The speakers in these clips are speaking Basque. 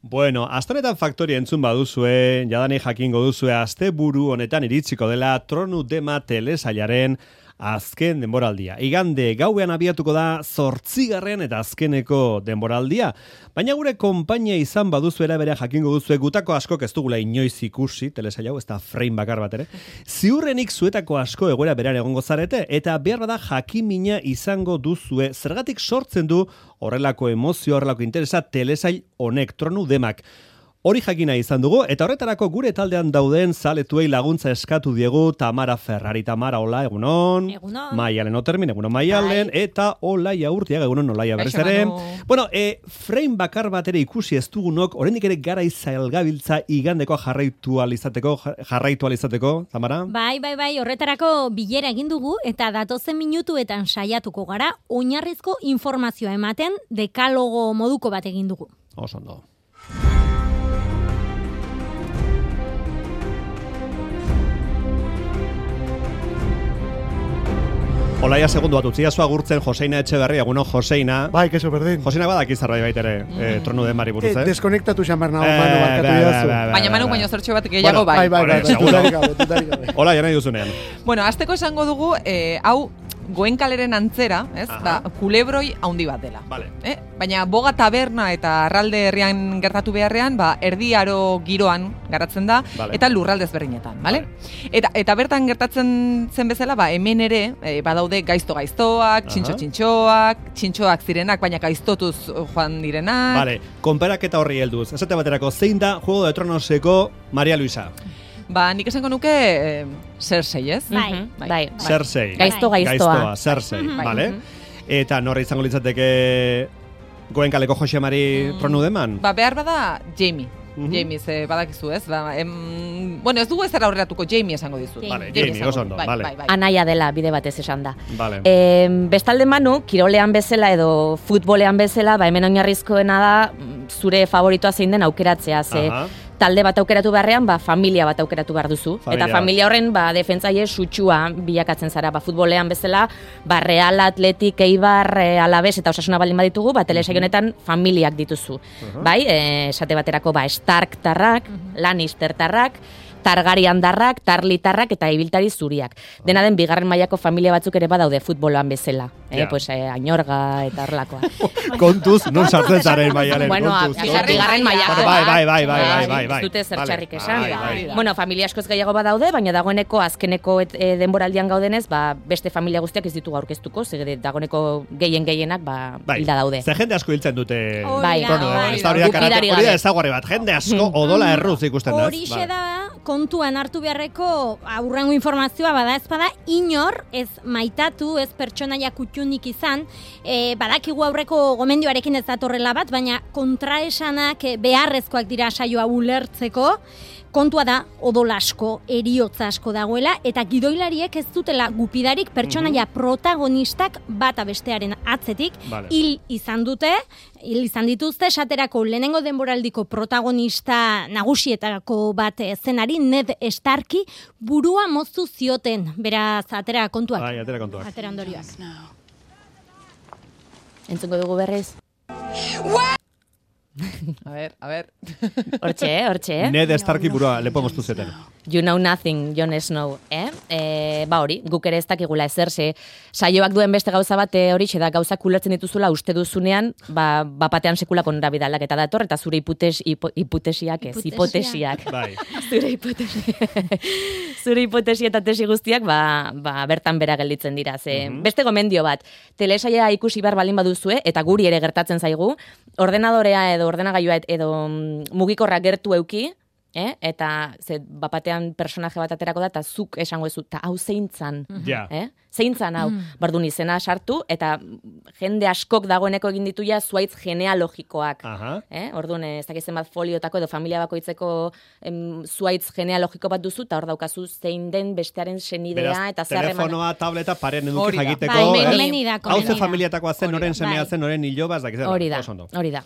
Bueno, astonetan faktoria entzun baduzue, jadanik jakingo duzue asteburu honetan iritsiko dela Tronu Dema telesailaren azken denboraldia. Igande gauean abiatuko da 8. eta azkeneko denboraldia. Baina gure konpainia izan baduzu bere jakingo duzue gutako askok ez dugula inoiz ikusi telesail hau, ez da frame bakar bat ere. Ziurrenik zuetako asko egoera beran egongo zarete eta behar bada jakimina izango duzue zergatik sortzen du horrelako emozio, horrelako interesa telesail honek Tronu Demak. Hori jakina izan dugu, eta horretarako gure taldean dauden zaletuei laguntza eskatu diegu Tamara Ferrari. Tamara, hola, egunon. Egunon. Maialen Otermin, egunon Maialen, eta Olaia Urtiaga, egunon Olaia berriz ere. Bueno, frame bakar bat ere ikusi ez dugunok, oraindik ere gara izailgabiltza igandeko jarraitu alizateko, Tamara? Bai, horretarako bilera egin dugu, eta datozen minutuetan saiatuko gara, oinarrizko informazioa ematen dekalogo moduko bat egin dugu. Oso ondo. Olaia segundu bat utzia zua gurtzen Joseina Etxeberria, egunon Joseina. Bai, keso berdin. Joseina badaki zerbait baitere, Tronu Demari buruz, Deskonektatu xamar nago, Manu, barkatu idazu. Baina Manu baino zertxo bat gehiago bai. Bai, betutarik gabe. Hola, jana duzunean. Bueno, azteko esango dugu, hau Goenkaleren antzera, ez? Ba, kulebroi haundi bat dela. Vale. Baina boga taberna eta arralde herrian gertatu beharrean, ba, erdi aro giroan garatzen da, eta lurralde ezberdinetan, vale? Eta bertan gertatzen zen bezala, ba, hemen ere, badaude gaiztoak, txintxoak zirenak, baina gaiztotuz joan direnak. Vale, konperaketa horri helduz. Esate baterako, zein da Juego de Tronoseko Maria Luisa? Ba, nik esango nuke Cersei, ez? Bai. Cersei. Gaiztoa. Cersei, vale? Eta norra izango litzateke Goenkaleko Jose Mari Tronu Deman? Ba, behar bada Jaime. Jaime, badakizu, ez? Bueno, ez dugu ez aurreratuko, Jaime esango dizut. Vale, Jaime, oso ondo, vale. Anaia dela, bide batez esan da. Vale. Bestalde Manu, kirolean bezala edo futbolean bezala, ba, hemen oinarrizkoena da zure favoritoa zein den aukeratzea, ze talde bat aukeratu beharrean, ba, familia bat aukeratu behar duzu. Eta familia horren, ba, defentzaile sutsua bilakatzen zara. Ba, futbolean bezala, ba, Real, Atletik, Eibar, Alaves eta Osasuna baldin baditugu, ba, telesail honetan familiak dituzu. Bai, esate baterako, ba, Stark-tarrak, Lannister-tarrak, Targaryen-darrak, Tarly-tarrak eta ibiltari zuriak. Dena den, bigarren mailako familia batzuk ere badaude futboloan bezala. Pues, Añorga eta horrelakoa. Kontuz, non sartzen zaren Maialen, bueno, kontuz. Bigarren mailako. Bai. Zute zertxarrik esan. Bueno, familia askoz gehiago badaude, baina dagoeneko azkeneko denboraldian gaudenez, ba, beste familia guztiak ez ditugu aurkeztuko, ze dagoeneko gehienak, ba, hilda daude. Ze jende asko hiltzen dute. Bai. Hori da ezaguarri bat, jende asko odola erruz ikusten da. Horixe da, kontuan hartu beharreko aurrengo informazioa bada ez bada inor ez maitatu, ez pertsonaia kutxunik izan, badakigu aurreko gomendioarekin ez datorrela bat, baina kontraesanak beharrezkoak dira saioa ulertzeko. Kontua da, odol asko, eriotza asko dagoela, eta gidoilariek ez dutela gupidarik pertsonaia protagonistak bata bestearen atzetik, hil izan dituzte, esaterako lehenengo denboraldiko protagonista nagusietako bat zenari, Ned Starki, burua moztu zioten, beraz, atera kontuak. Bai, atera kontuak. Atera ondorioak. Entzungo dugu berriz. A ver. Hortxe. Ned Starki burua lepo moztu zeten. You know nothing, Jon Snow, ba hori, guk ere ez dakigula ezer, saioak duen beste gauza bat horixe da, gauzak ulertzen dituzula uste duzunean, ba batean sekulako norabidalak eta dator, eta zure hipotesiak. Bai. Zure hipotesia eta tesi guztiak, ba bertan bera gelditzen dira. Beste gomendio bat, telesaia ikusi behar baldin baduzue, eta guri ere gertatzen zaigu, ordenadorea edo ordenagailua edo mugikorra gertu euki, eta bapatean personaje bat aterako da, eta zuk esango ezu, eta hau zeintzan. Zeintzan hau. Bardun izena sartu, eta jende askok dagoeneko egin ditu ja zuaitz genealogikoak. Orduan, ez dakizen bat foliotako edo familia bakoitzeko zuaitz genealogiko bat duzu, eta hor daukazu zein den bestearen senidea, eta zeharreman. Telefonoa, tableta, paren eduki jakiteko. Hau ze familiatakoa zen, noren semea zen, noren hiloba, ez dakizen. Hori da.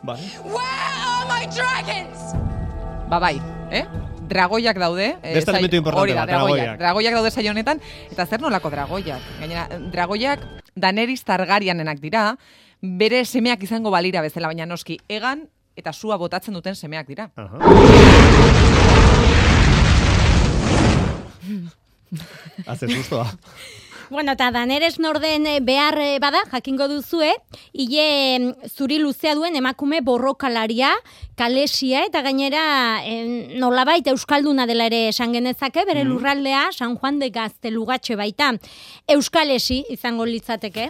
Where are my dragons? Ba bai, dragoiak daude. Beste elementu importante bat, dragoiak. Dragoiak daude saio honetan, eta zer nolako dragoiak? Gainera, dragoiak Daenerys Targaryenenak dira, bere semeak izango balira bezala, baina noski, egan eta sua botatzen duten semeak dira. Haze sustoa. Bueno, eta Daenerys norden behar bada, jakingo duzue, hile zuri luzea duen emakume borrokalaria, Kalesia, eta gainera nolabait euskalduna dela ere esan genezake, bere lurraldea San Juan de Gaztelugatxe baita. Euskalesi izango litzateke.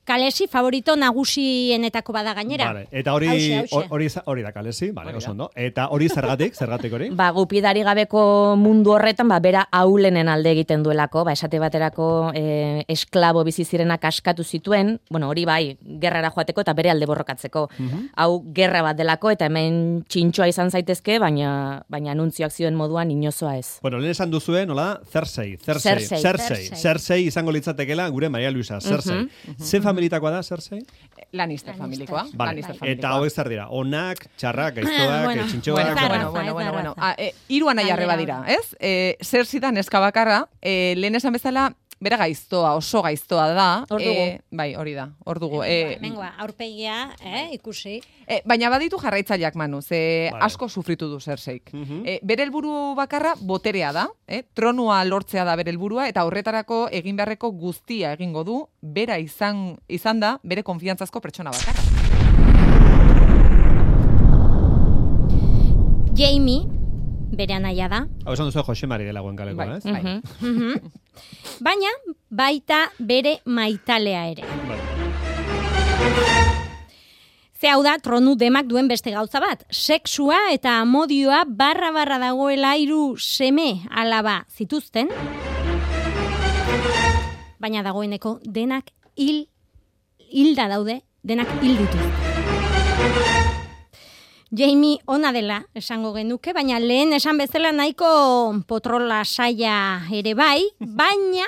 Kalesi favorito nagusienetako bada gainera. Vale. Eta hori da Kalesi, vale, oso ondo. Eta hori zergatik hori? Gupidari gabeko mundu horretan, bera aulenen alde egiten duelako, esate baterako esklabo bizi zirenak askatu zituen, hori bai, gerrara joateko eta bere alde borrokatzeko. Hau gerra bat delako eta hemen txintxoa izan zaitezke, baina anuntzioak zioen moduan inozoa ez. Lehen esan duzuen, nola? Cersei izango litzatekela gure Maria Luisa, Cersei. Ze familitakoa da, Cersei? Lannister familikoa. Eta hauek zer dira? Onak, txarrak, gaiztoak, txintxoak. Bueno. Hiru anaia arreba dira, ez? Cersei da neska bakarra, lehen esan bezala, bera gaiztoa, oso gaiztoa da. Bai, hori da, hor dugu. Aurpegia, ikusi. Baina baditu jarraitzaileak, Manu, asko sufritu du Cerseik. Bere helburu bakarra boterea da, tronua lortzea da bere helburua, eta horretarako egin beharreko guztia egingo du, bera izan da bere konfiantzazko pertsona bakarra. Jaime, bere anaia da. Hau esan duzu Jose Mari dela Goenkaleko, ez? Baina, baita bere maitalea ere. Ze hau da, tronu demak duen beste gauza bat. Sexua eta amodioa barra dagoela 3 seme alaba zituzten. Baina dagoeneko denak hilda daude, denak hil dituzte. Jaime ona dela esango genuke, baina lehen esan bezala nahiko potrola saia ere bai, baina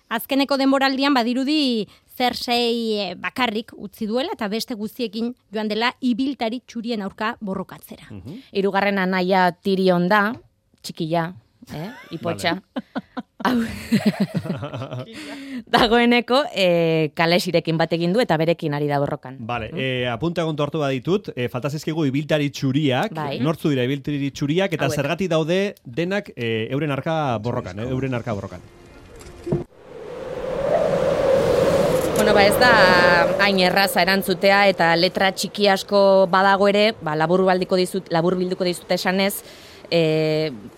azkeneko denboraldian badirudi Cersei bakarrik utzi duela eta beste guztiekin joan dela ibiltari txurien aurka borrokatzera. 3. anaia Tyrion da, txikila, ipotxa. Dagoeneko Kalesirekin bat egin du eta berekin ari da borrokan. Vale, apunta kontu hartu baditut, falta zaizkigu ibiltari txuriak, nortzu dira ibiltari txuriak eta zergatik daude denak euren arka borrokan, Ez da hain erraza erantzutea eta letra txiki asko badago ere, labur bilduko dizut esanez,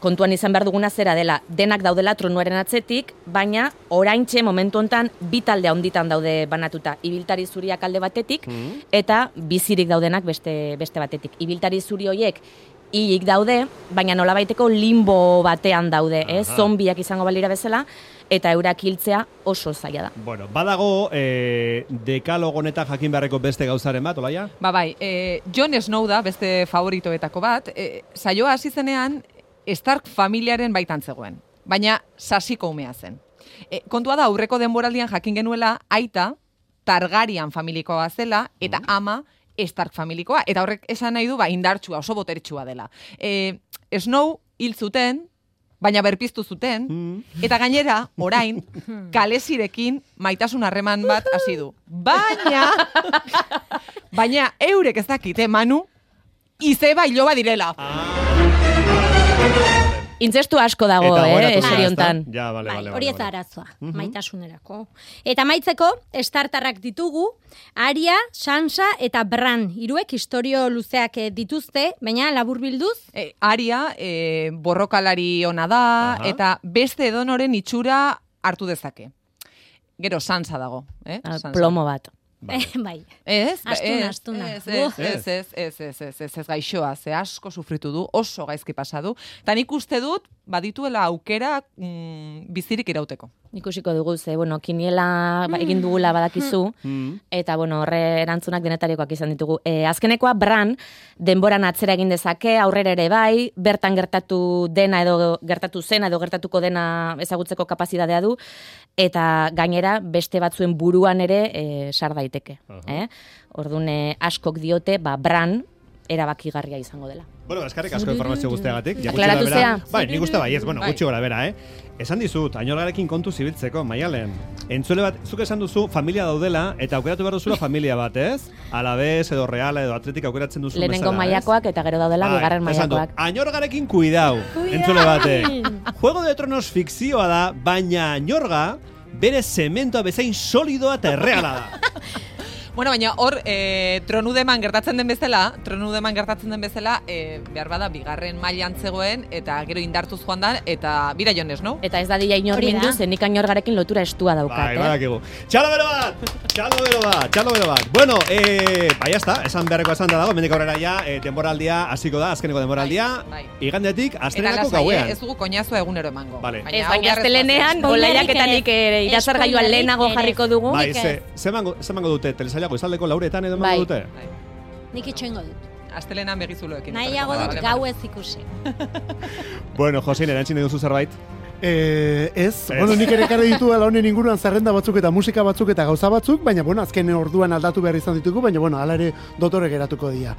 kontuan izan behar duguna zera dela, denak daudela tronuaren atzetik, baina oraintxe momentu hontan 2 talde handitan daude banatuta. Ibiltari zuriak alde batetik eta bizirik daudenak beste batetik. Ibiltari zuri horiek hilik daude, baina nolabaiteko limbo batean daude, zombiak izango balira bezala, eta eurak hiltzea oso zaila da. Bueno, badago dekalogo honetan jakin beharreko beste gauzaren bat, Olaia? Bai, Jon Snow da beste favoritoetako bat. Saioa hasi zenean Stark familiaren baitan zegoen, baina sasiko umea zen. Kontua da, aurreko denboraldian jakin genuela aita Targaryen familikoa zela eta ama Stark familikoa, eta horrek esan nahi du indartsua, oso botertsua dela. Snow hil zuten, baina berpiztu zuten, eta gainera, orain, Kalesirekin maitasun harreman bat hasi du. Baina eurek ez dakite, Manu, izeba iloba direla. Intzestu asko dago, eseriontan. Hori ez da arazoa, maitasunerako. Eta maitzeko, estartarrak ditugu, Arya, Sansa eta Bran. 3 historio luzeak dituzte, baina labur bilduz? Arya, borrokalari ona da, eta beste edonoren itxura hartu dezake. Gero Sansa dago. Plomo bat. Bai. Astuna. Ez gaixoa, ze asko sufritu du, oso gaizki pasa du. Eta nik uste dut, badituela aukera bizirik irauteko. Ikusiko dugu, kiniela egin dugula badakizu, eta horre erantzunak denetarikoak izan ditugu. Azkenekoa, Bran, denboran atzera egin dezake, aurrera ere bai, bertan gertatu dena edo gertatu zena edo gertatuko dena ezagutzeko kapazitatea du, eta gainera beste batzuen buruan ere sar daiteke. Orduan askok diote, Bran erabakigarria izango dela. Bueno, eskarrik asko informazio guztiagatik. Aklaratu zea. Bai, nik uste baiez, bueno, gutxi gora bera, Esan dizut, Añorgarekin kontu zibiltzeko, Maialen. Entzule bat, zuk esan duzu familia daudela, eta aukeratu behar duzula familia bat, ez? Alabez, edo Reala, edo Atletik aukeratzen duzu bezala, Lehenengo mailakoak eta gero daudela bigarren mailakoak. Añorgarekin kuidau, entzule bate. Juego de Tronos fikzioa da, baina Añorga bere zementoa bezain solidoa eta erreala da. Bueno, baina hor, tronudeman gertatzen den bezala, behar bada, bigarren mailan zegoen, eta gero indartuz joan da, eta bira jonez, no? Eta ez da dila inor mindu, zenik Añorgarekin lotura estua daukat, Bai, badakigu. Txalo bero bat! Bueno, bai, jazta, esan beharreko esan da dago, mendik aurrera ja, denboraldia hasiko da, azkeneko denboraldia, igandetik, astelehenako gauean. Ez dugu koñazua egunero emango. Vale. Ez, baina astelenean, olaiaketanik irazargaioan lehenago jarriko dugu. Bai, zemango dute, telesailago izaldeko lauretan edo emango dute? Nik itxoingo dut. Astelenan begizuloekin. Nahiago dut gau ez ikusi. Bueno, Josin, erantzine duzu zerbait? Bueno, nik ere karri ditu ala honen inguruan zerrenda batzuk eta musika batzuk eta gauza batzuk, baina, bueno, azken orduan aldatu behar izan ditugu, baina, bueno, ala ere dotore geratuko dira.